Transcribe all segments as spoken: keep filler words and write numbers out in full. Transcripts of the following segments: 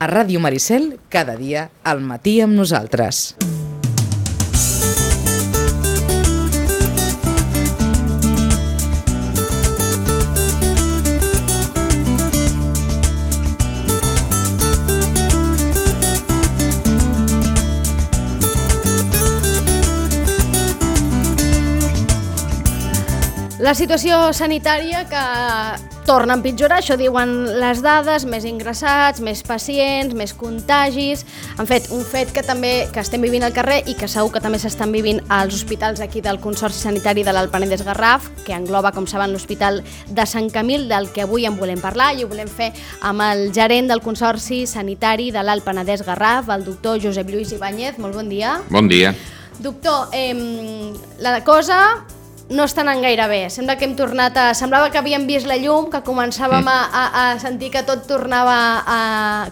A Ràdio Maricel, cada dia, al matí amb nosaltres. La situació sanitària que torna a empitjorar, això diuen les dades, més ingressats, més pacients, més contagis. En fet, un fet que també que estem vivint al carrer i que segur que també s'estan vivint als hospitals aquí del Consorci Sanitari de l'Alt Penedès-Garraf, que engloba, com saben, l'Hospital de Sant Camil, del que avui en volem parlar i ho volem fer amb el gerent del Consorci Sanitari de l'Alt Penedès-Garraf, el doctor Josep Lluís Ibáñez. Molt bon dia. Bon dia. Doctor, eh, la cosa no està anant gaire bé. Sembla que hem tornat a... Semblava que havíem vist la llum, que començàvem a, a, a sentir que tot tornava a,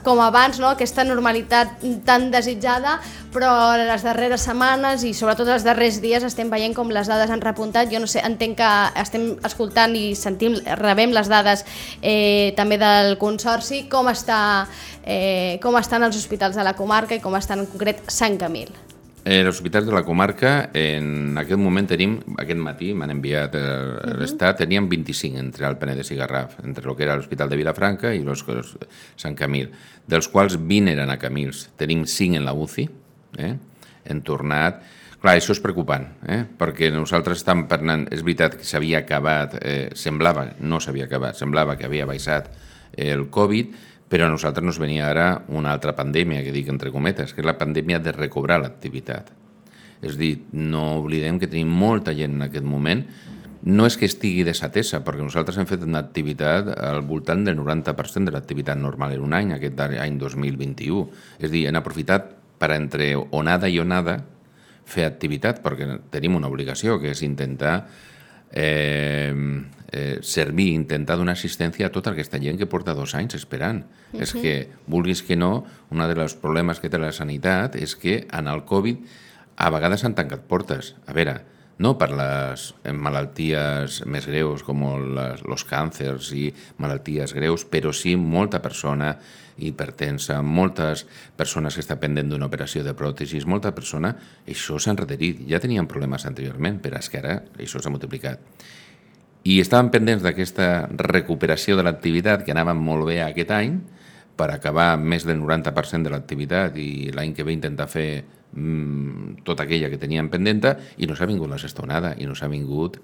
com abans, no? Aquesta normalitat tan desitjada, però les darreres setmanes i sobretot els darrers dies estem veient com les dades han repuntat. Jo no sé, entenc que estem escoltant i sentim, rebem les dades eh, també del Consorci. Com, està, eh, com estan els hospitals de la comarca i com estan en concret Sant Camil? Eh, els hospitals de la comarca, en aquest moment tenim, aquest matí m'han enviat a l'Estat, teníem vint-i-cinc entre el Penedès i Garraf, entre el que era l'Hospital de Vilafranca i los, Sant Camil, dels quals vint eren a Camils. Tenim cinc en la U C I, eh? Hem tornat. Clar, això és preocupant, eh? Perquè nosaltres estem parlant, és veritat que s'havia acabat, eh, semblava, no s'havia acabat, semblava que havia baixat el Covid, però a nosaltres nos venia ara una altra pandèmia, que dic entre cometes, que és la pandèmia de recobrar l'activitat. És a dir, no oblidem que tenim molta gent en aquest moment. No és que estigui desatesa, perquè nosaltres hem fet una activitat al voltant del noranta per cent de l'activitat normal en un any, aquest any dos mil vint-i-u. És a dir, hem aprofitat per entre onada i onada fer activitat, perquè tenim una obligació, que és intentar eh, eh, servir, intentar donar assistència a tota aquesta gent que porta dos anys esperant. Uh-huh. És que, vulguis que no, un dels problemes que té la sanitat és que en el Covid a vegades s'han tancat portes. A veure, no per les malalties més greus com les, els càncers i malalties greus, però sí molta persona hipertensa, moltes persones que estan pendent d'una operació de pròtesis, molta persona, això s'ha enrederit. Ja tenien problemes anteriorment, però és que ara això s'ha multiplicat. I estàvem pendents d'aquesta recuperació de l'activitat que anava molt bé aquest any, per acabar més del noranta per cent de l'activitat i l'any que ve intentar fer mmm, tota aquella que teníem pendenta, i no s'ha vingut la sexta onada, i no s'ha vingut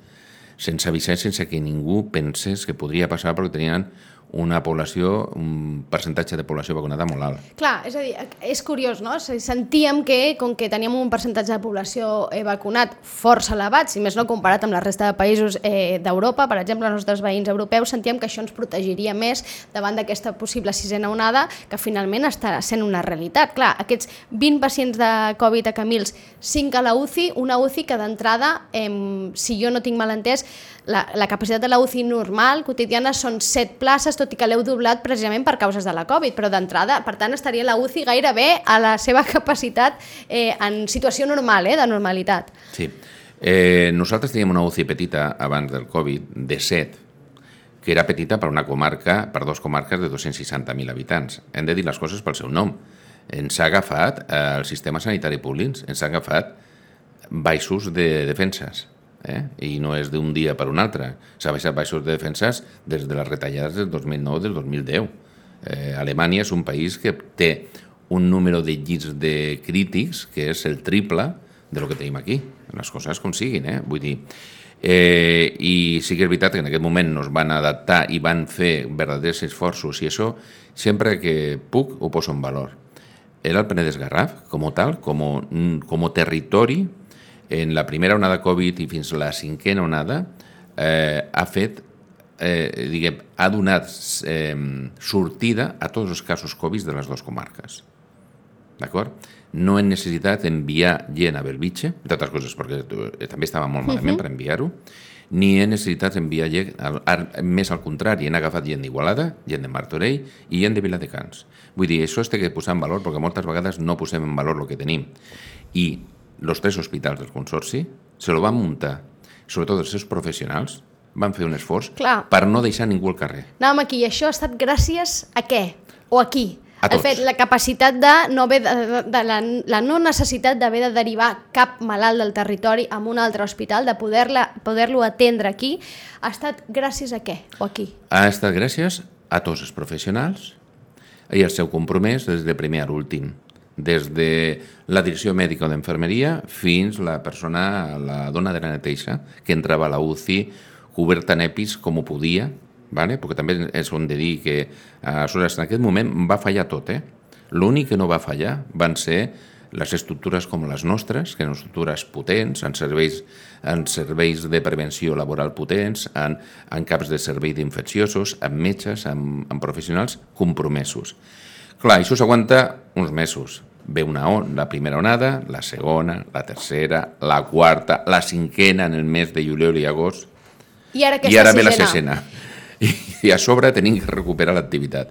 sense avisar, sense que ningú pensés que podria passar, perquè tenien una població, un percentatge de població vacunada molt alt. Clar, és a dir, és curiós, no? Sentíem que, com que teníem un percentatge de població eh, vacunat força elevat, si més no comparat amb la resta de països eh, d'Europa, per exemple, els nostres veïns europeus, sentíem que això ens protegiria més davant d'aquesta possible sisena onada, que finalment està sent una realitat. Clar, aquests vint pacients de Covid a Camils, cinc a la U C I, una U C I que d'entrada, eh, si jo no tinc mal entès, la, la capacitat de la U C I normal, quotidiana, són set places, tot i que l'heu doblat precisament per causes de la Covid, però d'entrada, per tant, estaria la U C I gairebé a la seva capacitat eh, en situació normal, eh, de normalitat. Sí. Eh, nosaltres teníem una U C I petita abans del Covid, de set, que era petita per una comarca, per dues comarques de dos-cents seixanta mil habitants. Hem de dir les coses pel seu nom. Ens ha agafat eh, el sistema sanitari públic, ens ha agafat baixos de defenses. Eh? I no és d'un dia per un altre. S'ha baixat baixos de defenses des de les retallades del dos mil nou i del dos mil deu. Eh, Alemanya és un país que té un número de llits de crítics que és el triple de lo que tenim aquí. Les coses com siguin, eh? Vull dir... Eh, I sí que és veritat que en aquest moment nos van adaptar i van fer verdaders esforços, i això sempre que puc ho poso en valor. Era el Penedès-Garraf, com tal, com, com territori, en la primera onada Covid i fins a la cinquena onada, eh, ha fet, eh, diguem, ha donat eh, sortida a tots els casos Covid de les dues comarques. D'acord? No hem necessitat enviar gent a Belvitge, entre altres coses, perquè també estava molt malament uh-huh. per enviar-ho, ni hem necessitat enviar gent, més al contrari, hem agafat gent d'Igualada, gent de Martorell i gent de Viladecans. Vull dir, això es té que posar en valor, perquè moltes vegades no posem en valor el que tenim. I els tres hospitals del Consorci se lo van muntar, sobretot els seus professionals, van fer un esforç Clar. per no deixar ningú al carrer. Anàvem aquí, i això ha estat gràcies a què? O a qui? A tots. De fet, la capacitat de no haver de, de, de la, la no necessitat d'haver de derivar cap malalt del territori a un altre hospital, de poder-la poder-lo atendre aquí, ha estat gràcies a què o aquí? Ha estat gràcies a tots els professionals i el seu compromís des de primer a l'últim, des de la direcció mèdica o d'enfermeria fins la persona, la dona de la neteja, que entrava a la U C I coberta en EPIs com ho podia, vale? Perquè també és on de dir que aleshores, en aquest moment va fallar tot. Eh? L'únic que no va fallar van ser les estructures com les nostres, que eren estructures potents, en serveis, en serveis de prevenció laboral potents, en, en caps de servei d'infecciosos, amb metges, amb, amb professionals compromesos. Clar, això s'aguanta uns mesos. Ve una on, la primera onada, la segona, la tercera, la quarta, la cinquena en el mes de juliol i agost, i ara, i ara ve la sisena. I, I a sobre tenim que recuperar l'activitat.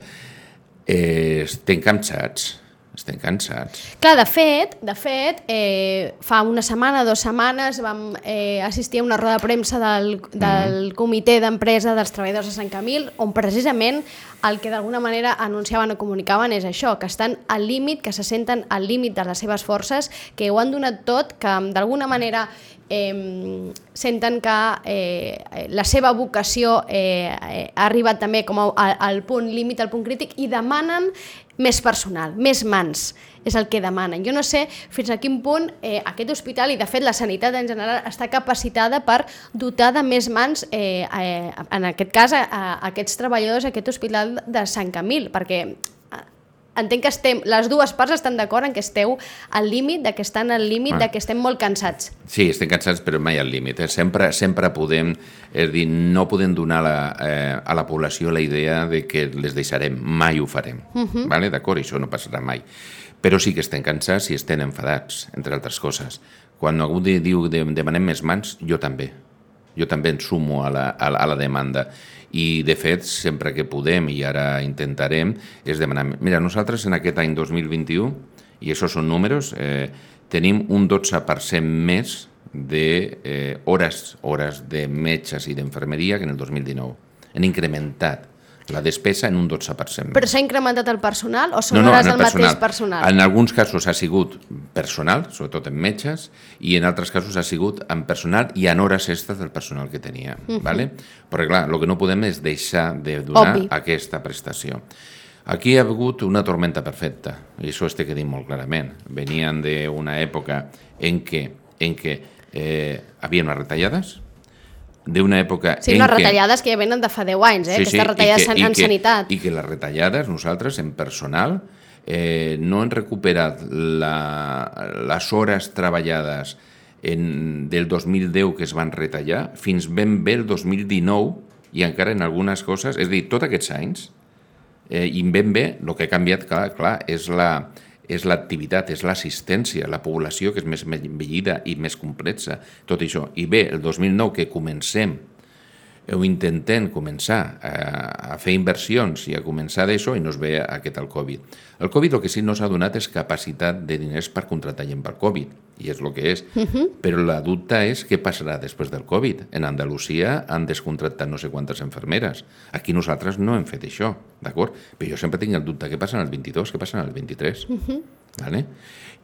Eh, estem cansats, estem cansats. Clar, de fet, de fet eh, fa una setmana, dues setmanes, vam eh, assistir a una roda de premsa del, del comitè d'empresa dels treballadors de Sant Camil, on precisament el que d'alguna manera anunciaven o comunicaven és això, que estan al límit, que se senten al límit de les seves forces, que ho han donat tot, que d'alguna manera Eh, senten que eh, la seva vocació eh, ha arribat també com a, al punt límit, al punt crític, i demanen més personal, més mans, és el que demanen. Jo no sé fins a quin punt eh, aquest hospital, i de fet la sanitat en general, està capacitada per dotar de més mans, eh, eh, en aquest cas, a, a aquests treballadors, a aquest hospital de Sant Camil, perquè entenc que estem, les dues parts estan d'acord en que esteu al límit, de que estan al límit, ah. de que estem molt cansats. Sí, estem cansats, però mai al límit. Eh? Sempre, sempre podem, és dir, no podem donar la, eh, a la població la idea de que les deixarem, mai ho farem. Uh-huh. Vale? D'acord? Això no passarà mai. Però sí que estem cansats i estem enfadats, entre altres coses. Quan algú diu que demanem més mans, jo també. Jo també em sumo a la, a la, a la demanda. I, de fet, sempre que podem, i ara intentarem, és demanar... Mira, nosaltres en aquest any dos mil vint-i-u, i això són números, eh, tenim un dotze per cent més de eh, hores, hores de metges i d'enfermeria que en el dos mil dinou. Han incrementat la despesa en un dotze per cent. Però s'ha incrementat el personal o són no, no, hores el del personal. mateix personal? En alguns casos ha sigut personal, sobretot en metges, i en altres casos ha sigut en personal i en hores extres del personal que tenia. Uh-huh. Vale? Perquè clar, el que no podem és deixar de donar Obvi. aquesta prestació. Aquí hi ha hagut una tormenta perfecta, i això es té que dir molt clarament. Venien d'una època en què, en què eh, havia unes retallades, d'una època sí, en unes què... retallades que ja venen de fa deu anys, eh? Sí, Aquestes sí, retallades que, en que, sanitat. I que les retallades, nosaltres, en personal, eh, no hem recuperat la, les hores treballades en, del dos mil deu que es van retallar fins ben bé el dos mil dinou, i encara en algunes coses, és a dir, tots aquests anys, eh, i ben bé el que ha canviat, clar, clar és la... és l'activitat, és l'assistència, la població que és més envellida i més complexa, tot això. I bé, el dos mil nou que comencem, o intentem començar a, a fer inversions i a començar d'això i no es ve aquest el Covid. El Covid el que sí no s'ha donat és capacitat de diners per contractar gent per Covid, i és el que és. Uh-huh. Però la dubte és què passarà després del Covid. En Andalusia han descontractat no sé quantes infermeres. Aquí nosaltres no hem fet això, d'acord? Però jo sempre tinc el dubte, què passa en el vint-i-dos, què passa en el vint-i-tres? Uh-huh. Vale?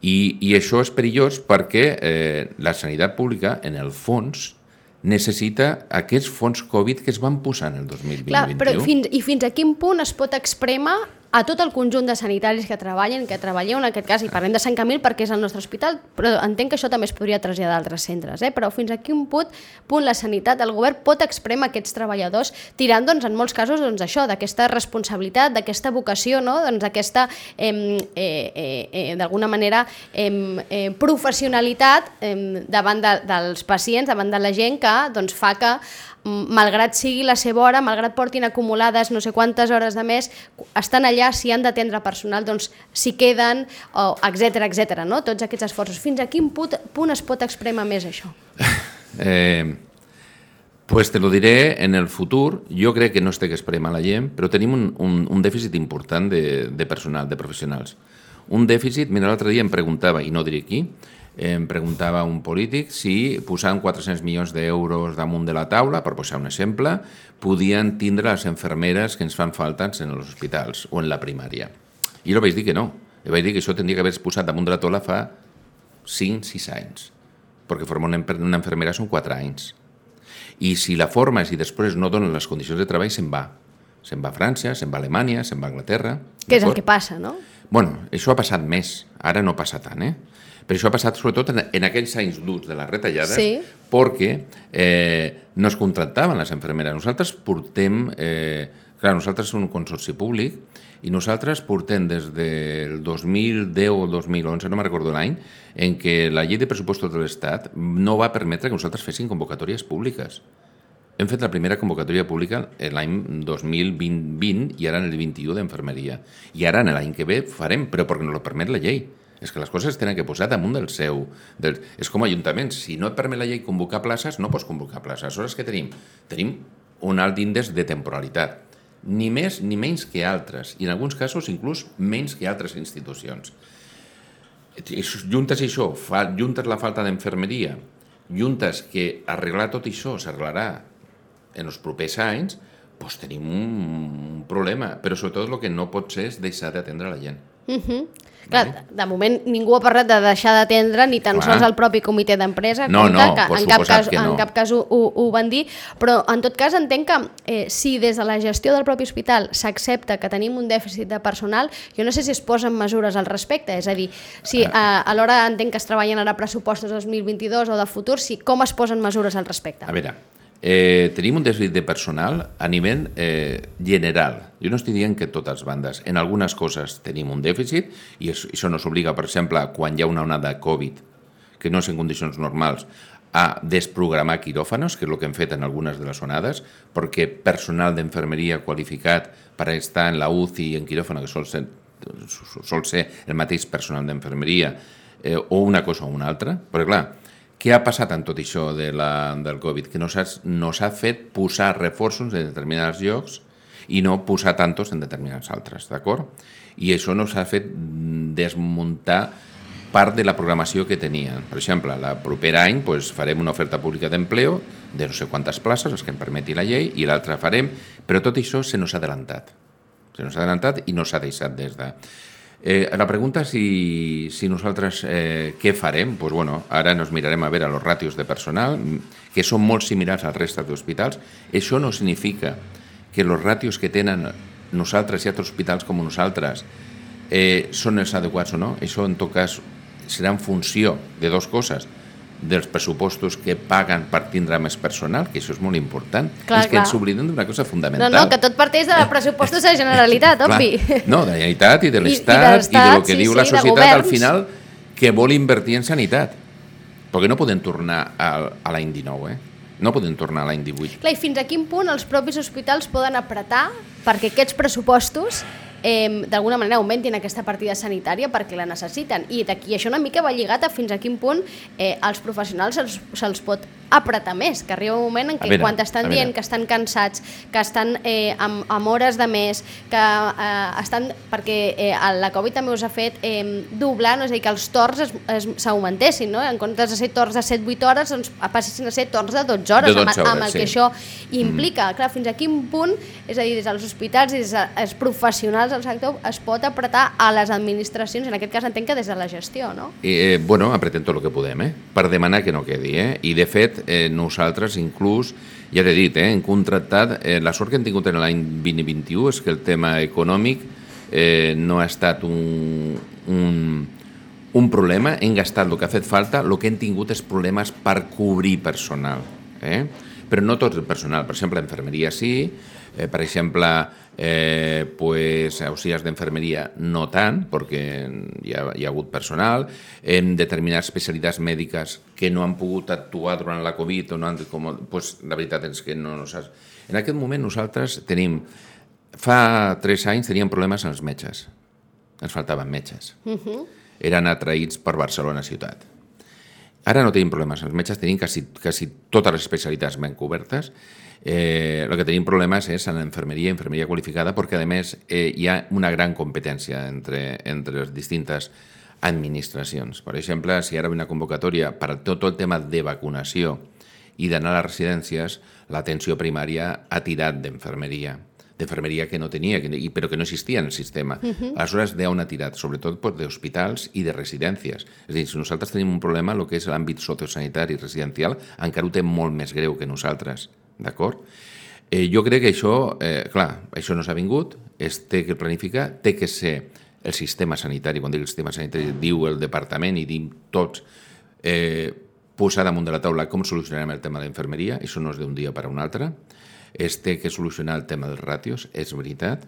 I, I això és perillós perquè eh, la sanitat pública, en el fons, necessita aquests fons Covid que es van posar en el dos mil vint-vint-u. Clar, però fins, i fins a quin punt es pot exprémer a tot el conjunt de sanitaris que treballen, que treballeu en aquest cas, i parlem de Sant Camil perquè és el nostre hospital, però entenc que això també es podria traslladar a altres centres, eh? Però fins a quin punt, punt la sanitat, el govern pot exprémer aquests treballadors tirant, doncs, en molts casos, doncs, això, d'aquesta responsabilitat, d'aquesta vocació, no? Doncs d'aquesta, eh, eh, eh, d'alguna manera, eh, eh, professionalitat eh, davant de, dels pacients, davant de la gent que doncs, fa que malgrat sigui la seva hora, malgrat portin acumulades no sé quantes hores de més, estan allà, si han d'atendre personal, doncs s'hi queden, etcètera, etcètera, no? Tots aquests esforços. Fins a quin punt, punt es pot exprémer més això? Eh, pues te lo diré en el futur. Jo crec que no es té que exprémer la gent, però tenim un, un, un dèficit important de, de personal, de professionals. Un dèficit, mira, l'altre dia em preguntava, i no diré qui, em preguntava un polític si posant quatre-cents milions d'euros damunt de la taula, per posar un exemple, podien tindre les infermeres que ens fan falta en els hospitals o en la primària. I jo vaig dir que no. Jo vaig dir que això tindria que haver posat damunt de la taula fa cinc sis anys, perquè formar una, una infermera són quatre anys. I si la formes i després no donen les condicions de treball, se'n va. Se'n va a França, se'n va a Alemanya, se'n va a Anglaterra. Que és el que passa, no? Bueno, això ha passat més, ara no passa tant, eh? Però això ha passat sobretot en, en aquells anys durs de les retallades, sí. perquè eh, no es contractaven les infermeres. Nosaltres portem, eh, clar, nosaltres som un consorci públic i nosaltres portem des del dos mil deu o el dos mil onze, no me'n recordo l'any, en què la llei de pressupostos de l'Estat no va permetre que nosaltres fessin convocatòries públiques. Hem fet la primera convocatòria pública l'any dos mil vint i ara en el vint-i-u d'enfermeria. I ara en l'any que ve farem, però perquè no ho permet la llei. És que les coses tenen que posar damunt del seu... Del, és com ajuntaments. Si no et permet la llei convocar places, no pots convocar places. Aleshores, què tenim? Tenim un alt índex de temporalitat. Ni més ni menys que altres. I en alguns casos, inclús, menys que altres institucions. Juntes això, fa, juntes la falta d'enfermeria, juntes que arreglar tot això s'arreglarà en els propers anys, doncs tenim un, un problema. Però sobretot el que no pot ser és deixar d'atendre la gent. Uh-huh. Clar, vale. De moment ningú ha parlat de deixar d'atendre ni tan Clar. sols el propi comitè d'empresa, no, no, que en cap cas, que no. en cap cas ho, ho, ho van dir, però en tot cas entenc que eh, si des de la gestió del propi hospital s'accepta que tenim un dèficit de personal, jo no sé si es posen mesures al respecte, és a dir, si eh, alhora entenc que es treballen ara pressupostos dos mil vint-i-dos o de futur, si com es posen mesures al respecte? A veure, Eh, tenim un dèficit de personal a nivell eh, general. Jo no estic dient que totes les bandes. En algunes coses tenim un dèficit i això, això nos obliga, per exemple, quan hi ha una onada de Covid, que no és en condicions normals, a desprogramar quiròfanos, que és el que hem fet en algunes de les onades, perquè personal d'enfermeria qualificat per estar en la U C I i en quiròfano, que sol ser, sol ser el mateix personal d'enfermeria, eh, o una cosa o una altra, perquè clar, què ha passat en tot això de la, del Covid? Que nos ha, nos ha fet posar reforços en determinats llocs i no posar tantos en determinats altres, d'acord? I això nos ha fet desmuntar part de la programació que tenien. Per exemple, el proper any pues, farem una oferta pública d'empleo de no sé quantes places, les que em permeti la llei, i l'altra farem, però tot això se nos ha adelantat. Se nos ha adelantat i no s'ha deixat des de... Eh, la pregunta és si, si nosaltres eh, què farem. Pues bueno, ara nos mirarem a veure els ràtios de personal, que són molt similars al resta d'hospitals. Això no significa que els ràtios que tenen nosaltres i altres hospitals com nosaltres eh, són els adequats o no. Això, en tot cas, serà en funció de dues coses, dels pressupostos que paguen per tindre més personal, que això és molt important. Clar, és que clar. ens oblidem d'una cosa fundamental. No, no, que tot parteix de pressupostos de Generalitat, obvi. No, de la Generalitat i de l'Estat i, i, i del que sí, diu la sí, societat al final que vol invertir en sanitat. Perquè no podem tornar a, a l'any dinou, eh? No podem tornar a l'any divuit. Clar, i fins a quin punt els propis hospitals poden apretar perquè aquests pressupostos eh, d'alguna manera augmentin aquesta partida sanitària perquè la necessiten. I d'aquí això una mica va lligat a fins a quin punt eh, als professionals se'ls se pot apretar més, que arriba un moment en què veure, quan estan dient que estan cansats, que estan eh, amb, amb hores de més, que eh, estan... perquè eh, la Covid també us ha fet eh, doblar, no? És a dir, que els torns s'augmentessin, no? En comptes de ser torns de set vuit hores, doncs passessin a ser torns de dotze hores, de dotze hores amb, amb el sí. que això implica. Mm. Clar, fins a quin punt, és a dir, des dels hospitals i des dels professionals del sector es pot apretar a les administracions, en aquest cas entenc que des de la gestió, no? Eh, bueno, apretem tot el que podem, eh? Per demanar que no quedi, eh? I de fet, Eh, nosaltres inclús, ja t'he dit, eh, hem contractat, eh, la sort que hem tingut en l'any vint vint-i-u és que el tema econòmic eh, no ha estat un, un, un problema, hem gastat el que ha fet falta, el que hem tingut és problemes per cobrir personal, eh? Però no tot el personal, per exemple, l'enfermeria sí, eh, per exemple, eh, pues, auxiliars d'enfermeria no tant, perquè hi ha, hi ha hagut personal, en determinades especialitats mèdiques que no han pogut actuar durant la Covid, o no han, com, pues, la veritat és que no... no en aquest moment nosaltres tenim, fa tres anys teníem problemes amb els metges, ens faltaven metges, uh-huh. eren atraïts per Barcelona ciutat. Ara no tenim problemes, els metges tenim quasi, quasi totes les especialitats ben cobertes. Eh, el que tenim problemes és en l'enfermeria, infermeria qualificada, perquè a més eh, hi ha una gran competència entre, entre les distintes administracions. Per exemple, si ara hi ha una convocatòria per tot el tema de vacunació i d'anar a les residències, l'atenció primària ha tirat d'enfermeria, d'infermeria que no tenia, que, però que no existia en el sistema. Uh -huh. Aleshores, d'on ha tirat? Sobretot pues, d'hospitals i de residències. És a dir, si nosaltres tenim un problema, el que és l'àmbit sociosanitari residencial, encara ho té molt més greu que nosaltres, d'acord? Eh, jo crec que això, eh, clar, això no s'ha vingut, es té que planificar, té que ser el sistema sanitari, quan dic el sistema sanitari, diu el departament i diu tots, eh, posar damunt de la taula com solucionarem el tema de l'infermeria, això no és d'un dia per a un altre, es té que solucionar el tema dels ràtios, és veritat.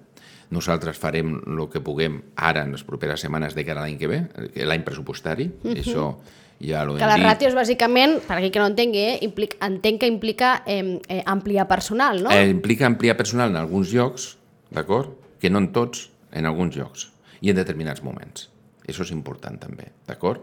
Nosaltres farem el que puguem ara en les properes setmanes de cara a l'any que ve, l'any pressupostari, uh -huh. això ja l'ho hem dit. Que les ràtios, bàsicament, per aquí que no entengui, eh, implica, entenc que implica eh, eh, ampliar personal, no? Eh, implica ampliar personal en alguns llocs, d'acord? Que no en tots, en alguns llocs, i en determinats moments. Això és important també, d'acord?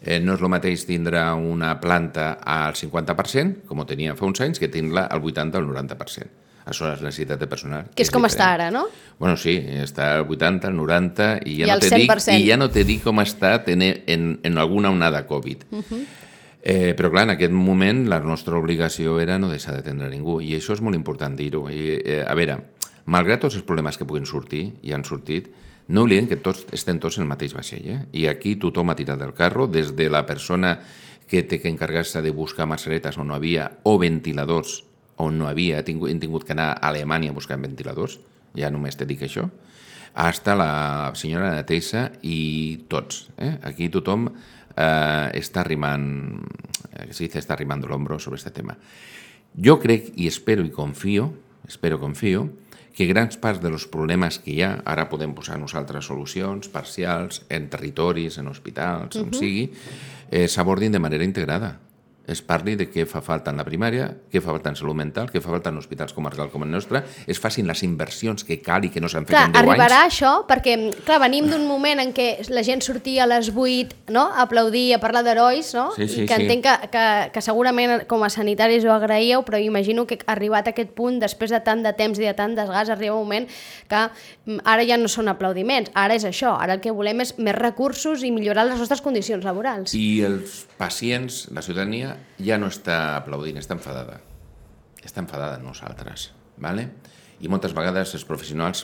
Eh, no és el mateix tindre una planta al cinquanta per cent, com ho tenia fa uns anys, que tindre-la al vuitanta o al noranta per cent. Això és la necessitat de personal. Que és, és com diferent. Està ara, no? Bueno, sí, està al vuitanta, al noranta, i ja, I no, te dic, i ja no te dic com ha estat en, en, en alguna onada Covid. Uh -huh. eh, però, clar, en aquest moment la nostra obligació era no deixar d'atendre ningú, i això és molt important dir-ho. Eh, a veure, malgrat tots els problemes que puguin sortir, i han sortit, no oblidem que tots estem tots en el mateix vaixell, eh? I aquí tothom ha tirat del carro, des de la persona que té que encarregar-se de buscar mascaretes on no havia, o ventiladors on no havia, hem tingut, hem tingut que anar a Alemanya buscant ventiladors, ja només te dic això, hasta la senyora Neteja i tots. Eh? Aquí tothom eh, està arrimant, que se dice, està arrimando l'hombro sobre este tema. Jo crec, i espero i confio, espero confio, que grans parts dels problemes que hi ha, ara podem posar nosaltres solucions parcials en territoris, en hospitals, uh-huh. on sigui, eh, s'abordin de manera integrada. Es parli de què fa falta en la primària, què fa falta en salut mental, què fa falta en hospitals comarcals com el nostre, es facin les inversions que cal i que no s'han fet clar, en deu anys. Arribarà això, perquè clar, venim d'un moment en què la gent sortia a les vuit, no?, a aplaudir, a parlar d'herois, no? Sí, sí, I que sí. entenc que, que, que segurament com a sanitaris ho agraïeu, però imagino que arribat a aquest punt, després de tant de temps i de tant desgast, arriba un moment que ara ja no són aplaudiments, ara és això, ara el que volem és més recursos i millorar les nostres condicions laborals. I els pacients, la ciutadania, ja no està aplaudint, està enfadada. Està enfadada amb nosaltres, ¿vale? I moltes vegades els professionals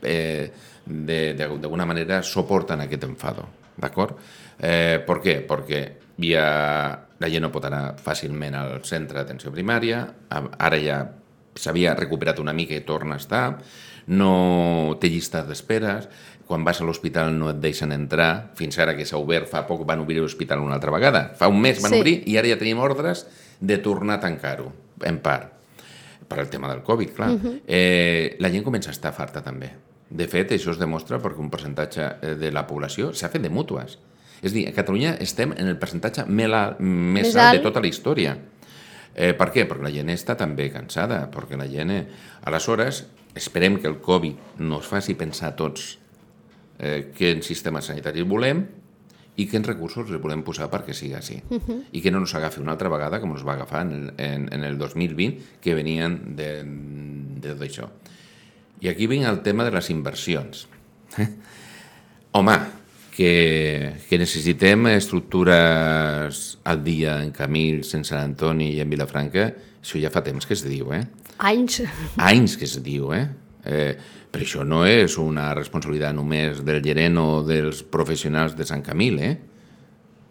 eh, d'alguna manera soporten aquest enfado, d'acord? Eh, per què? Perquè ja la gent no pot anar fàcilment al centre d'atenció primària, ara ja s'havia recuperat una mica i torna a estar, no té llistes d'esperes, quan vas a l'hospital no et deixen entrar, fins ara que s'ha obert, fa poc van obrir l'hospital una altra vegada, fa un mes van sí. obrir i ara ja tenim ordres de tornar a tancar-ho, en part, per al tema del Covid, clar. Uh-huh. eh, la gent comença a estar farta també. De fet, això es demostra perquè un percentatge de la població s'ha fet de mútues. És a dir, a Catalunya estem en el percentatge més alt, més alt de tota la història. Eh, per què? Perquè la gent està també cansada, perquè la gent... Eh... Aleshores, esperem que el Covid no ens faci pensar a tots eh, quin sistema sanitari volem i quins recursos els volem posar perquè sigui així. Uh-huh. I que no ens agafi una altra vegada, com ens va agafar en el, en, en el dos mil vint, que venien de, de tot això. I aquí vinc el tema de les inversions. Home, que, que necessitem estructures al dia en Camils, en Sant Antoni i en Vilafranca, això ja fa temps que es diu, eh? Anys. Anys que es diu, eh? eh però això no és una responsabilitat només del gerent o dels professionals de Sant Camil, eh?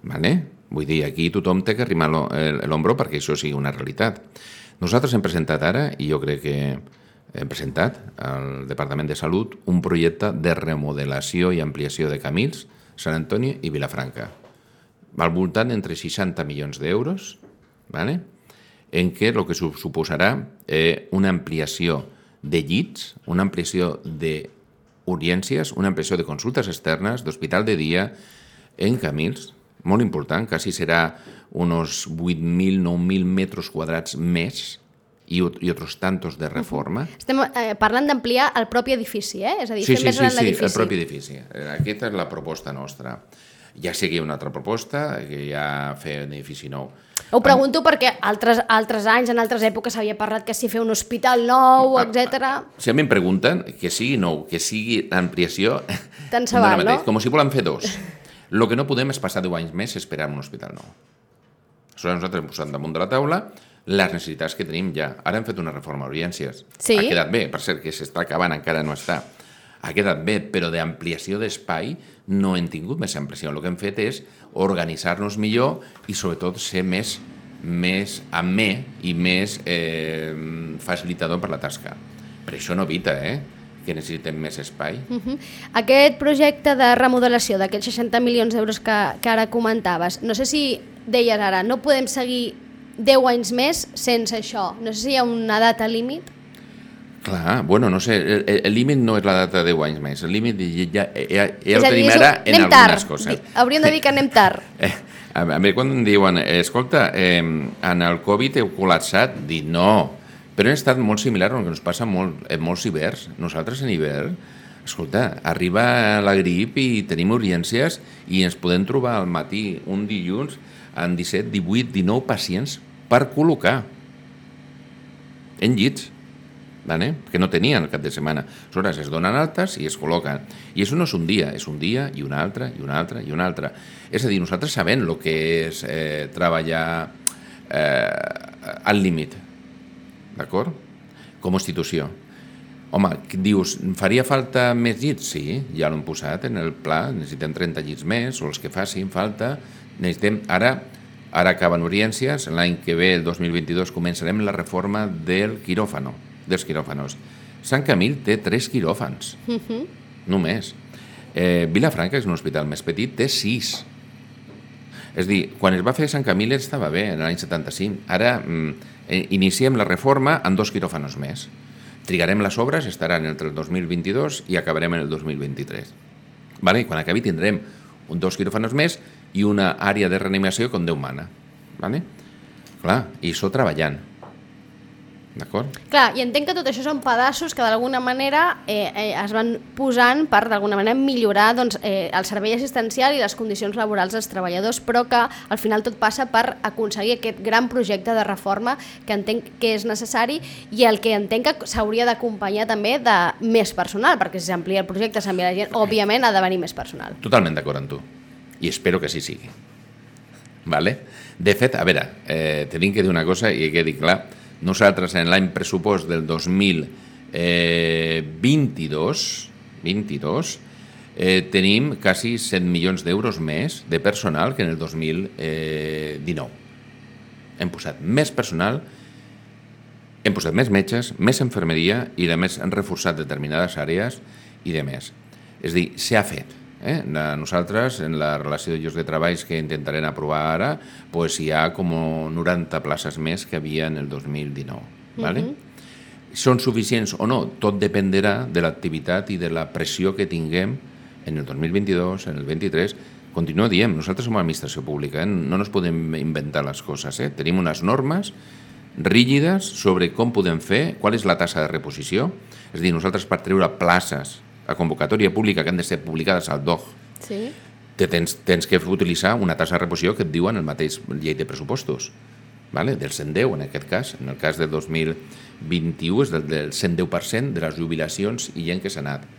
Vale? Vull dir, aquí tothom té que arrimar l'ombro perquè això sigui una realitat. Nosaltres hem presentat ara, i jo crec que hem presentat al Departament de Salut un projecte de remodelació i ampliació de Camils, Sant Antoni i Vilafranca, al voltant entre seixanta milions d'euros, ¿vale? En què el que suposarà eh, una ampliació de llits, una ampliació d'urgències, una ampliació de consultes externes, d'hospital de dia en Camils, molt important, quasi serà uns vuit mil, nou mil metres quadrats més i, i altres tantos de reforma. Estem eh, parlant d'ampliar el propi edifici, eh? És a dir, sí, fer sí, més gran sí, l'edifici. Sí, el propi edifici. Aquesta és la proposta nostra. Ja sé que hi ha una altra proposta, que ja fer un edifici nou. Ho pregunto perquè altres, altres anys, en altres èpoques s'havia parlat que si fer un hospital nou, etcètera. Si a mi em pregunten que sigui nou, que sigui l'ampliació... Tant se val, no? Com si volen fer dos. El que no podem és passar deu anys més esperant un hospital nou. Aleshores nosaltres hem posat damunt de la taula les necessitats que tenim ja. Ara hem fet una reforma a urgències. Sí. Ha quedat bé, per cert que s'està acabant, encara no està. Ha quedat bé, però d'ampliació d'espai no hem tingut més ampliació. El que hem fet és organitzar-nos millor i sobretot ser més, més amè i més eh, facilitador per la tasca. Per això no evita, eh? que necessitem més espai. Uh-huh. Aquest projecte de remodelació d'aquests seixanta milions d'euros que, que ara comentaves, no sé si deies ara, no podem seguir deu anys més sense això. No sé si hi ha una data límit. Clar, bueno, no sé, el, el límit no és la data de deu anys més, el límit ja, ja, ja el dir, tenim ara en algunes tard. coses. Hauríem de dir que anem tard. Eh, a mi quan em diuen, escolta, eh, en el Covid heu col·lapsat, dic no, però ha estat molt similar al que ens passa molt, en molts hiverns. Nosaltres en hivern, escolta, arriba la grip i tenim urgències i ens podem trobar al matí un dilluns amb disset, divuit, dinou pacients per col·locar en llits, ¿vale? Que no tenien el cap de setmana. Aleshores es donen altes i es col·loquen. I això no és un dia, és un dia i un altre, i un altre, i un altre. És a dir, nosaltres sabem el que és eh, treballar eh, al límit, d'acord? Com a institució. Home, dius, faria falta més llits? Sí, ja l'hem posat en el pla, necessitem trenta llits més, o els que facin falta. Necessitem, ara, ara acaben urgències, l'any que ve, el dos mil vint-i-dos, començarem la reforma del quiròfano, dels quiròfanos. Sant Camil té tres quiròfans, uh-huh. només. Eh, Vilafranca, que és un hospital més petit, té sis. És a dir, quan es va fer Sant Camil estava bé, en l'any setanta-cinc. Ara mm, iniciem la reforma amb dos quiròfanos més. Trigarem les obres, estaran entre el dos mil vint-i-dos i acabarem en el dos mil vint-i-tres. Vale? I quan acabi tindrem un, dos quiròfanos més i una àrea de reanimació com Déu mana. Vale? Clar, i això treballant. D'acord? Clar, i entenc que tot això són pedassos que d'alguna manera eh, eh, es van posant per d'alguna manera millorar doncs, eh, el servei assistencial i les condicions laborals dels treballadors, però que al final tot passa per aconseguir aquest gran projecte de reforma que entenc que és necessari i el que entenc que s'hauria d'acompanyar també de més personal, perquè si s'amplia el projecte, s'envia la gent, òbviament ha de venir més personal. Totalment d'acord amb tu, i espero que així sigui. Vale? De fet, a veure, eh, tenim que dir una cosa i he de dir clar. Nosaltres en l'any pressupost del dos mil vint-i-dos vint-i-dos eh, tenim quasi set milions d'euros més de personal que en el dos mil dinou. Hem posat més personal, hem posat més metges, més infermeria i a més hem reforçat determinades àrees i de més. És a dir, s'ha fet. Eh? Nosaltres, en la relació de llocs de treballs que intentarem aprovar ara, pues hi ha com noranta places més que havia en el dos mil dinou. ¿Vale? Uh-huh. Són suficients o no? Tot dependerà de l'activitat i de la pressió que tinguem en el dos mil vint-i-dos, en el vint-i-tres. Continuo dient, nosaltres som administració pública, eh? No ens podem inventar les coses. Eh? Tenim unes normes rígides sobre com podem fer, qual és la tassa de reposició. És a dir, nosaltres per treure places a convocatòria pública que han de ser publicades al D O G, sí. te tens, tens que utilitzar una tassa de reposició que et diuen el mateix llei de pressupostos, vale? Del cent deu en aquest cas. En el cas del dos mil vint-i-u és del, del cent deu per cent de les jubilacions i gent que s'ha anat.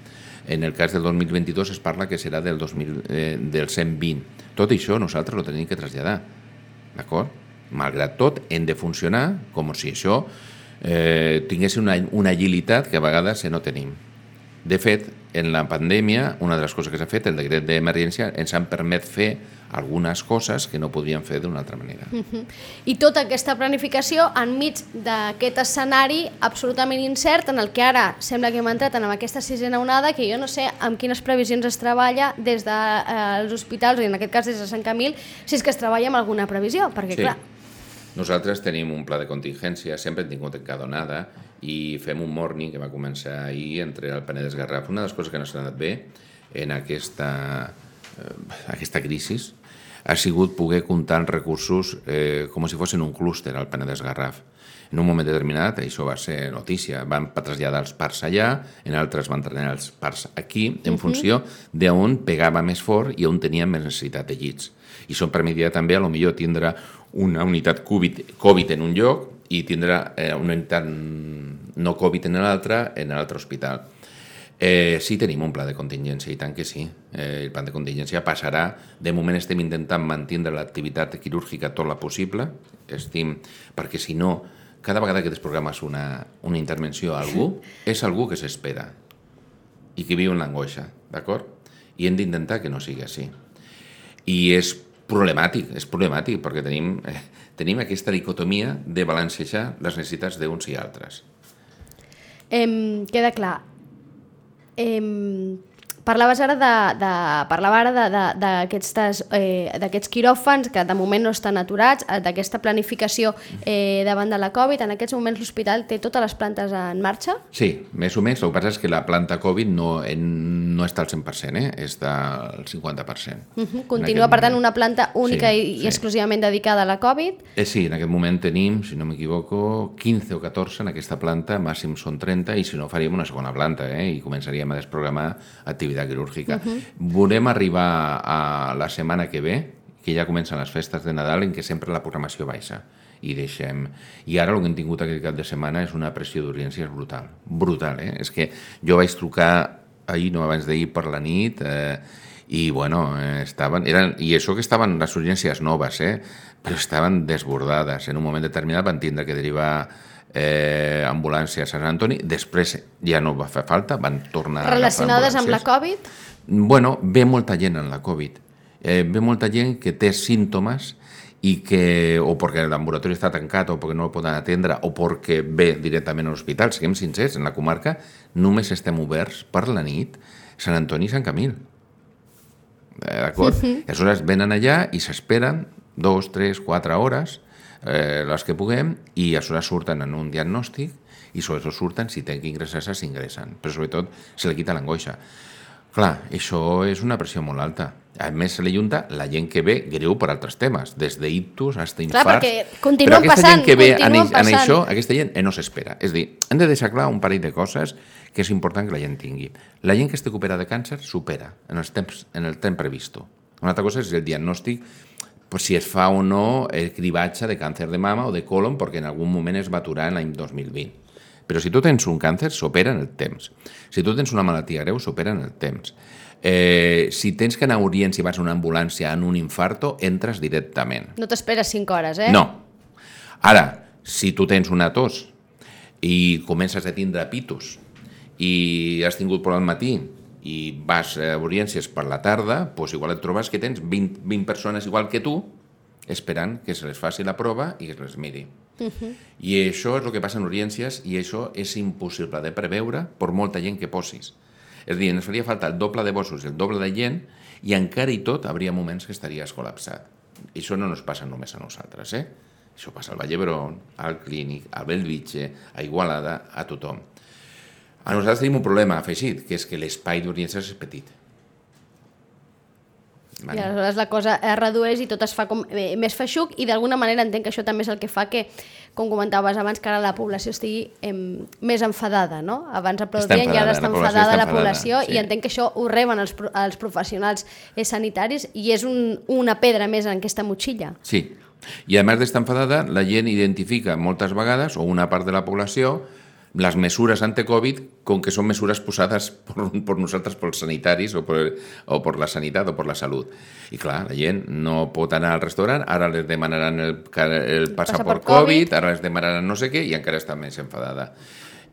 En el cas del dos mil vint-i-dos es parla que serà del, dos mil, eh, del cent vint. Tot això nosaltres ho tenim que traslladar, d'acord? Malgrat tot, hem de funcionar com si això eh, tingués una, una agilitat que a vegades no tenim. De fet, en la pandèmia, una de les coses que s'ha fet, el decret d'emergència, ens han permet fer algunes coses que no podríem fer d'una altra manera. Uh-huh. I tota aquesta planificació enmig d'aquest escenari absolutament incert en el que ara sembla que hem entrat en aquesta sisena onada, que jo no sé amb quines previsions es treballa des dels eh, hospitals, i en aquest cas des de Sant Camil, si és que es treballa amb alguna previsió, perquè sí. clar... Nosaltres tenim un pla de contingència, sempre hem tingut en cada onada, i fem un morning que va començar ahir entre el Penedès i Garraf. Una de les coses que no s'ha anat bé en aquesta, eh, aquesta crisi ha sigut poder comptar amb recursos eh, com si fossin un clúster al Penedès Garraf. En un moment determinat, això va ser notícia, van traslladar els parcs allà, en altres van traslladar els parcs aquí, en uh-huh. funció d'on pegava més fort i on tenia més necessitat de llits. I això permetia també, a lo millor, tindre una unitat COVID, COVID en un lloc i tindrà eh, una unitat no Covid en l'altre, en l'altre hospital. Eh, sí, tenim un pla de contingència, i tant que sí. Eh, el pla de contingència passarà. De moment estem intentant mantenir l'activitat quirúrgica tot la possible, estim, perquè si no, cada vegada que desprogrames una, una intervenció a algú, és algú que s'espera i que viu en l'angoixa, d'acord? I hem d'intentar que no sigui així. I és problemàtic, és problemàtic, perquè tenim, eh, tenim aquesta dicotomia de balancejar les necessitats d'uns i altres. Eh, queda clar. Eh, parlaves ara de, de, parlava ara d'aquests eh, quiròfans que de moment no estan aturats, d'aquesta planificació eh, davant de la Covid. En aquests moments l'hospital té totes les plantes en marxa? Sí, més o menys. El que passa és que la planta Covid no, no està al cent per cent, eh? Està al cinquanta per cent. Uh -huh. Continua, per tant, una planta única sí, i, sí. i exclusivament dedicada a la Covid? Eh, sí, en aquest moment tenim, si no m'equivoco, quinze o catorze en aquesta planta, màxim són trenta, i si no faríem una segona planta, eh? I començaríem a desprogramar activitat quirúrgica. Uh -huh. Volem arribar a la setmana que ve, que ja comencen les festes de Nadal, en què sempre la programació baixa. I deixem... I ara el que hem tingut aquest cap de setmana és una pressió d'urgències brutal. Brutal, eh? És que jo vaig trucar ahir, no abans d'ahir, per la nit, eh, i, bueno, eh, estaven... Eren, I això que estaven les urgències noves, eh? Però estaven desbordades. En un moment determinat van tindre que derivar eh, ambulàncies a Sant Antoni, després ja no va fer falta, van tornar a agafar ambulàncies. Relacionades amb la Covid? Bueno, ve molta gent en la Covid. Eh, ve molta gent que té símptomes i que, o perquè l'ambulatori està tancat o perquè no el poden atendre o perquè ve directament a l'hospital. Siguem sincers, en la comarca només estem oberts per la nit Sant Antoni i Sant Camil. Eh, d'acord? Uh-huh. Aleshores venen allà i s'esperen dos, tres, quatre hores, eh, les que puguem, i aleshores surten en un diagnòstic i sobretot surten, si tenen que ingressar-se, s'ingressen. Però sobretot se li quita l'angoixa. Clar, això és una pressió molt alta. A més, se li junta la gent que ve greu per altres temes, des d'ictus fins a infarts. Clar, perquè continuen Però aquesta passant, gent que ve en, passant. en això, aquesta gent eh, no s'espera. És a dir, hem de deixar clar un parell de coses que és important que la gent tingui. La gent que estigui operada de càncer supera en, els temps, en el temps previst. Una altra cosa és el diagnòstic, pues, si es fa o no el cribatge de càncer de mama o de colon, perquè en algun moment es va aturar en l'any dos mil vint. Però si tu tens un càncer, s'opera en el temps. Si tu tens una malaltia greu, s'opera en el temps. Eh, si tens que anar a urgència i vas a una ambulància en un infarto, entres directament. No t'esperes cinc hores, eh? No. Ara, si tu tens una tos i comences a tindre pitus i has tingut por al matí i vas a urgències per la tarda, doncs igual et trobes que tens vint, vint persones igual que tu esperant que se les faci la prova i que es les miri. Uh-huh. I això és el que passa en urgències i això és impossible de preveure per molta gent que posis. És a dir, ens faria falta el doble de bossos i el doble de gent i encara i tot hauria moments que estaries col·lapsat. I això no ens passa només a nosaltres, eh? Això passa al Vall d'Hebron, al Clínic, a Bellvitge, a Igualada, a tothom. A nosaltres tenim un problema afegit, que és que l'espai d'urgències és petit. Vale. I aleshores la cosa es redueix i tot es fa com eh, més feixuc i d'alguna manera entenc que això també és el que fa que, com comentaves abans, que ara la població estigui eh, més enfadada, no? Abans aplaudien i ara està enfadada la població, sí. I entenc que això ho reben els, els professionals eh, sanitaris i és un, una pedra més en aquesta motxilla. Sí, i a més d'estar enfadada, la gent identifica moltes vegades, o una part de la població, les mesures ante-Covid com que són mesures posades per, per nosaltres, pels sanitaris o per, o per la sanitat o per la salut. I clar, la gent no pot anar al restaurant, ara les demanaran el, el passaport Covid, ara les demanaran no sé què i encara està més enfadada.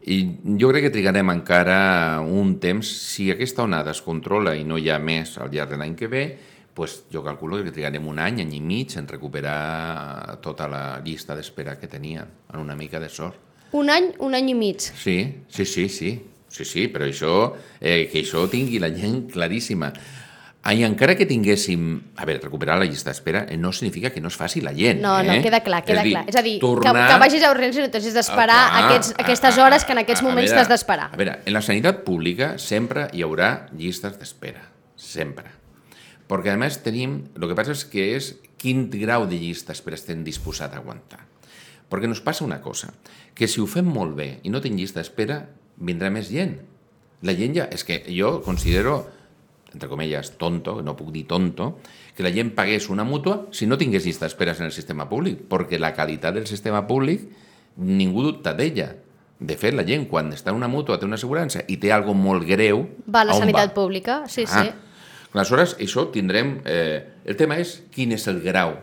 I jo crec que trigarem encara un temps, si aquesta onada es controla i no hi ha més al llarg de l'any que ve, pues jo calculo que trigarem un any, any i mig en recuperar tota la llista d'espera que tenien, amb una mica de sort. Un any, un any i mig. Sí, sí, sí, sí, sí, sí, però això, eh, que això tingui la gent claríssima. I encara que tinguéssim, a veure, recuperar la llista d'espera no significa que no es faci la gent. No, no, eh? queda clar, queda és clar. És a dir, tornar... que, que vagis a urgències i no t'hagis d'esperar ah, aquests, aquestes hores que en aquests moments t'has d'esperar. A veure, en la sanitat pública sempre hi haurà llistes d'espera, sempre. Perquè a més tenim, el que passa és que és quin grau de llista d'espera estem disposats a aguantar. Perquè ens passa una cosa, que si ho fem molt bé i no tenim llista d'espera, vindrà més gent. La gent ja... És que jo considero, entre comillas, tonto, no puc dir tonto, que la gent pagués una mútua si no tingués llista d'esperes en el sistema públic, perquè la qualitat del sistema públic ningú dubta d'ella. De fet, la gent, quan està en una mútua, té una assegurança i té alguna cosa molt greu... Va a la sanitat va? pública, sí, ah. sí. Aleshores, això tindrem... Eh, el tema és quin és el grau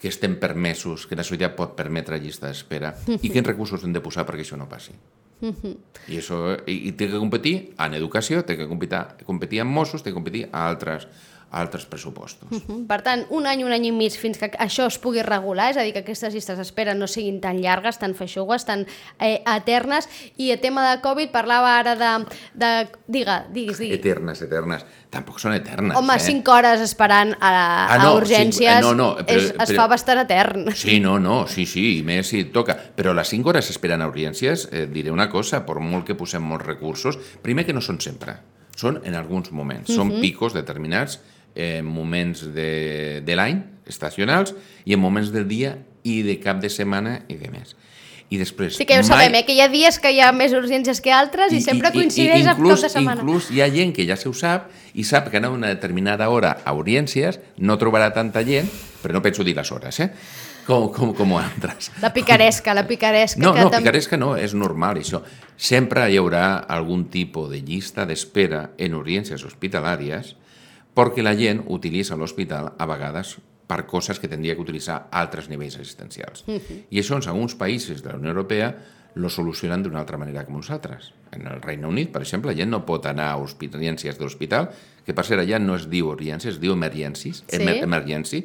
que estem permesos, que la societat pot permetre a llista d'espera i quins recursos hem de posar perquè això no passi. I, això, i, i té que competir en educació, té que competir, competir en Mossos, té que competir a altres, a altres pressupostos. Uh-huh. Per tant, un any, un any i mig fins que això es pugui regular, és a dir, que aquestes llistes d'espera no siguin tan llargues, tan feixugues, tan eh, eternes. I el tema de Covid parlava ara de... de diga, diguis, diguis. Eternes, eternes. Tampoc són eternes. Home, eh? cinc hores esperant a, ah, no, a urgències cinc, eh, no, no, però, és, es però, fa bastant etern. Sí, no, no, sí, sí, i més si toca. Però les cinc hores esperant a urgències, eh, diré una cosa, per molt que posem molts recursos, primer que no són sempre, són en alguns moments, uh-huh. són picos determinats, en moments de, de l'any, estacionals, i en moments del dia i de cap de setmana i de més. I després... Sí que ja ho mai... sabem, eh? Que hi ha dies que hi ha més urgències que altres i, i sempre coincideix amb cap de setmana. Inclús hi ha gent que ja se ho sap i sap que a una determinada hora a urgències no trobarà tanta gent, però no penso dir les hores, eh? Com, com, com altres. La picaresca, la picaresca. No, que no, tam... picaresca no, és normal això. Sempre hi haurà algun tipus de llista d'espera en urgències hospitalàries perquè la gent utilitza l'hospital a vegades per coses que tindria que utilitzar altres nivells assistencials. Uh-huh. I això en alguns països de la Unió Europea lo solucionen d'una altra manera que nosaltres. En el Regne Unit, per exemple, la gent no pot anar a urgències de l'hospital, que per ser allà no es diu urgències, es diu emergencies, sí? emer emergency,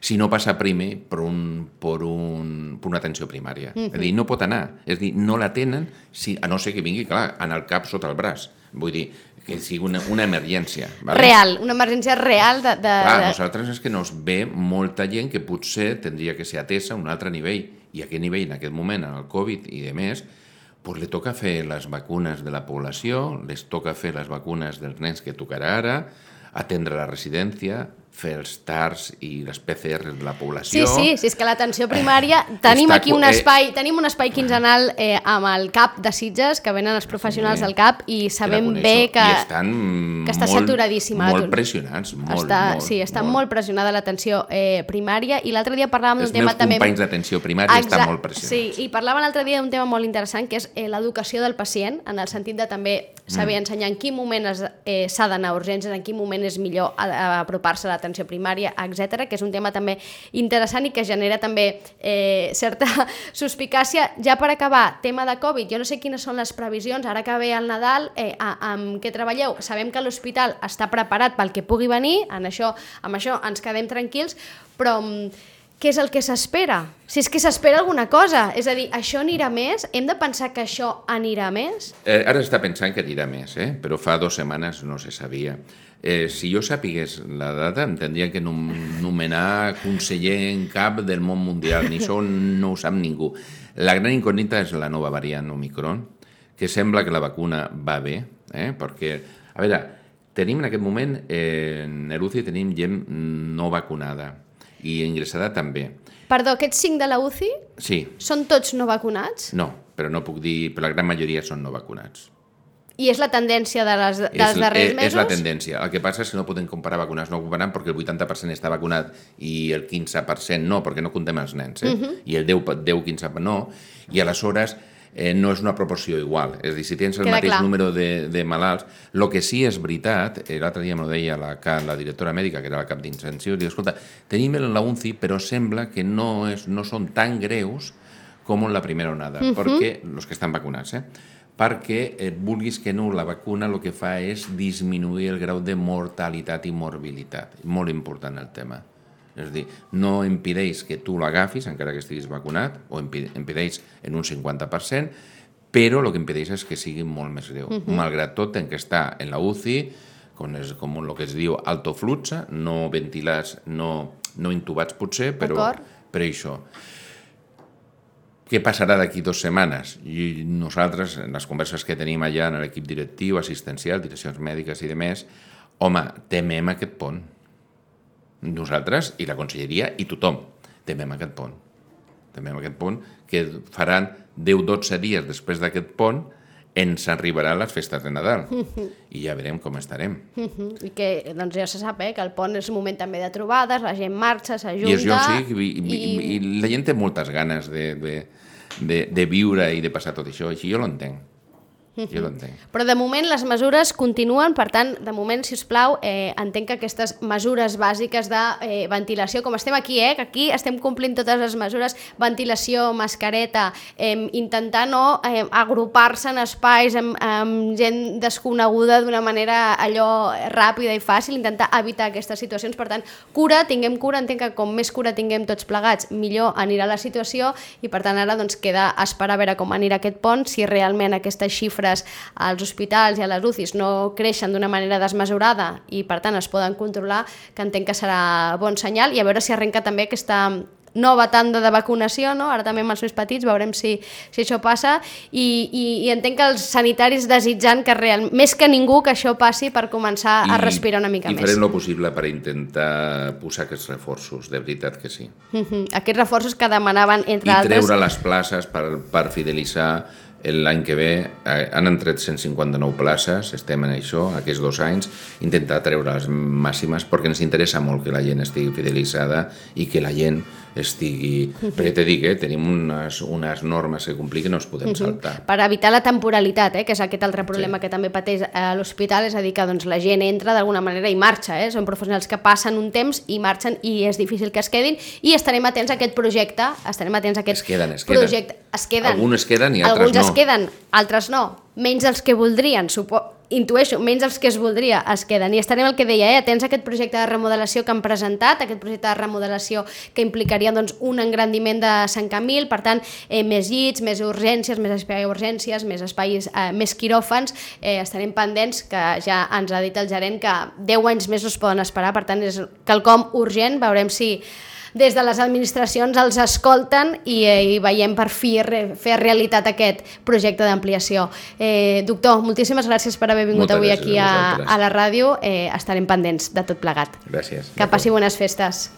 si no passa primer per, un, per, un, per una atenció primària. Uh-huh. És a dir, no pot anar. És a dir, no la tenen, si, a no ser que vingui, clar, en el cap sota el braç. Vull dir, que sigui una, una emergència. Vale? Real, una emergència real de... de Clar, de... nosaltres és que nos ve molta gent que potser tindria que ser atesa a un altre nivell, i a aquest nivell, en aquest moment, en el Covid i de més, pues li toca fer les vacunes de la població, les toca fer les vacunes dels nens que tocarà ara, atendre la residència, fer els TARS i les P C Rs de la població... Sí, sí, sí, és que l'atenció primària... Tenim Està, aquí un espai, eh, tenim un espai quinzenal eh, amb el CAP de Sitges, que venen els professionals sí, del CAP, i sabem bé que, que està molt, saturadíssima. Molt pressionats, molt, està, molt. Sí, està molt, molt pressionada l'atenció eh, primària, i l'altre dia parlàvem d'un tema també... Els meus companys d'atenció primària Exacte, estan molt pressionats. Sí, i parlàvem l'altre dia d'un tema molt interessant, que és eh, l'educació del pacient, en el sentit de també saber mm. ensenyar en quin moment s'ha eh, d'anar a urgències, en quin moment és millor a, a apropar-se a l'atenció primària, etcètera, que és un tema també interessant i que genera també eh, certa suspicàcia. Ja per acabar, tema de Covid, jo no sé quines són les previsions, ara que ve el Nadal, eh, amb què treballeu? Sabem que l'hospital està preparat pel que pugui venir, en això, amb això ens quedem tranquils, però què és el que s'espera? Si és que s'espera alguna cosa, és a dir, això anirà més? Hem de pensar que això anirà més? Eh, ara està pensant que anirà més, eh? Però fa dues setmanes no se sabia. Eh, si jo sapigués la data, em tindria que nomenar conseller en cap del món mundial, ni això no ho sap ningú. La gran incògnita és la nova variant Omicron, que sembla que la vacuna va bé, eh? Perquè, a veure, tenim en aquest moment, eh, en l'U C I tenim gent no vacunada i ingressada també. Perdó, aquests cinc de la U C I sí. són tots no vacunats? No, però no puc dir, però la gran majoria són no vacunats. I és la tendència de les, dels és, darrers és, mesos? És la tendència. El que passa és que no podem comparar vacunats no vacunats perquè el vuitanta per cent està vacunat i el quinze per cent no, perquè no comptem els nens, eh? Uh-huh. I el deu quinze per cent no, i aleshores eh, no és una proporció igual. És a dir, si tens el Queda mateix clar. número de, de malalts, el que sí és veritat, eh, l'altre dia m'ho deia la, la directora mèdica, que era la cap d'intensiu, diu, escolta, tenim la U C I, però sembla que no, és, no són tan greus com en la primera onada, uh-huh. perquè els que estan vacunats, eh? perquè eh, vulguis que no, la vacuna el que fa és disminuir el grau de mortalitat i morbilitat. Molt important el tema. És a dir, no impedeix que tu l'agafis, encara que estiguis vacunat, o impedeix en un cinquanta per cent, però el que impedeix és que sigui molt més greu. Uh-huh. Malgrat tot, en que està en la U C I, com, és, com el que es diu alto flux, no ventilats, no, no intubats potser, però per això. Què passarà d'aquí dues setmanes? I nosaltres, en les converses que tenim allà en l'equip directiu, assistencial, direccions mèdiques i demés, home, temem aquest pont. Nosaltres i la conselleria i tothom temem aquest pont. Temem aquest pont que faran deu a dotze dies després d'aquest pont ens arribaran les festes de Nadal uh-huh. i ja veurem com estarem. Uh-huh. I que doncs ja se sap eh, que el pont és un moment també de trobades, la gent marxa, s'ajunta... I, això, sí, i, i, i, i la gent té moltes ganes de, de, de, de viure i de passar tot això. Així jo l'entenc. Jo l'entenc. Però de moment les mesures continuen, per tant, de moment, si us plau, eh, entenc que aquestes mesures bàsiques de eh, ventilació, com estem aquí, eh, que aquí estem complint totes les mesures, ventilació, mascareta, eh, intentar no eh, agrupar-se en espais amb, amb gent desconeguda d'una manera allò ràpida i fàcil, intentar evitar aquestes situacions. Per tant, cura, tinguem cura, entenc que com més cura tinguem tots plegats, millor anirà la situació i per tant ara doncs, queda esperar a veure com anirà aquest pont, si realment aquestes xifres als hospitals i a les U C Is no creixen d'una manera desmesurada i per tant es poden controlar, que entenc que serà bon senyal, i a veure si arrenca també aquesta nova tanda de vacunació, no? Ara també amb els més petits veurem si, si això passa i, i, i entenc que els sanitaris desitjant que real, més que ningú que això passi per començar I, a respirar una mica i més. I farem el possible per intentar posar aquests reforços, de veritat que sí. Uh-huh. Aquests reforços que demanaven, entre I altres... I treure les places per, per fidelitzar. L'any que ve eh, han entrat cent cinquanta-nou places, estem en això, aquests dos anys, intentar treure les màximes perquè ens interessa molt que la gent estigui fidelitzada i que la gent estigui... Uh-huh. Perquè te dic, eh, tenim unes, unes normes que complir que no es podem uh-huh. saltar. Per evitar la temporalitat, eh, que és aquest altre problema sí. que també pateix a l'hospital, és a dir, que doncs, la gent entra d'alguna manera i marxa, eh? Són professionals que passen un temps i marxen i és difícil que es quedin, i estarem atents a aquest projecte, estarem atents a aquest es queden, es queden. projecte. Es queden. Alguns es queden i altres Alguns no. es queden, altres no. Menys dels que voldrien, supo... intueixo, menys dels que es voldria es queden. I estarem el que deia, eh? atents a aquest projecte de remodelació que han presentat, aquest projecte de remodelació que implicaria doncs, un engrandiment de Sant Camil, per tant, eh, més llits, més urgències, més espai d'urgències, més espais, eh, més quiròfans, eh, estarem pendents, que ja ens ha dit el gerent que deu anys més no es poden esperar, per tant és quelcom urgent, veurem si des de les administracions els escolten i, eh, i veiem per fi re, fer realitat aquest projecte d'ampliació. Eh, doctor, moltíssimes gràcies per haver vingut Moltes avui aquí a, a, a la ràdio. Eh, estarem pendents de tot plegat. Gràcies. Que passi bones festes.